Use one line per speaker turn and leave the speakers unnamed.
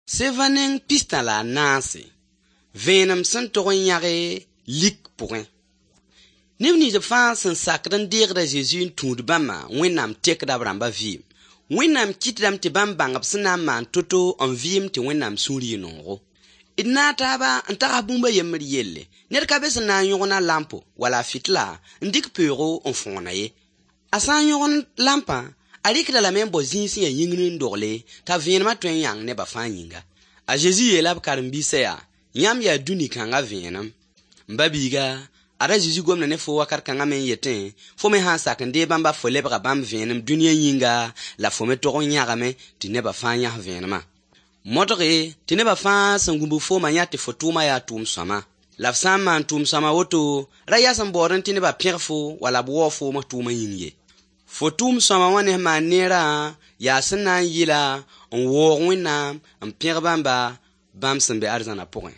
Seva neng pistã la a naase, vẽenem sẽn tog n yãge lik pʋgẽ. Neb nins fãa sẽn sakd n deegd a Zezi n tũud bãmba, Wẽnnaam tekda b rãmba vɩɩm. Wẽnnaam kɩtdame tɩ bãmb bãng b sẽn na n maan to-to n vɩɩm tɩ Wẽnnaam sũur yɩ noogo. D naag taaba n tags bũmb a yembr yelle. Ned ka be sẽn na n yõgen a lampo wala a fɩtla n dɩk peoogo n fõona ye. A sã n yõgen lampã, a rɩkd-a lame n bao zĩig sẽn yaa yĩngr n dogle t'a vẽenemã tõe n yãng nebã fãa yĩnga. A Zezi yeela b karen-biisã yaa: yãmb yaa dũni kãngã vẽenem. M ba-biiga, ada Zezi gomda ne fo wakat kãngã me n yetẽ, fo me sã n sak n deeg bãmba fo lebga bãmb vẽenem dũniyã yĩnga, la fo me tog n yãgame tɩ nebã fãa yãs vẽenemã. Modge tɩ nebã fãa sẽn gũbg foomã yã tɩ fo tʋʋma yaa tʋʋm sõama. La f sã n maan tʋʋm sõama woto, ra yas n baoodẽ tɩ nebã pẽg fo wala b waoog foom f tʋʋmã yĩng ye. Fo tʋʋm sõama wã ne sẽn maan neerã yaa sẽn na n yɩla n waoog Wẽnnaam n pẽg bãmba, bãmb sẽn be arzãna pʋgẽ.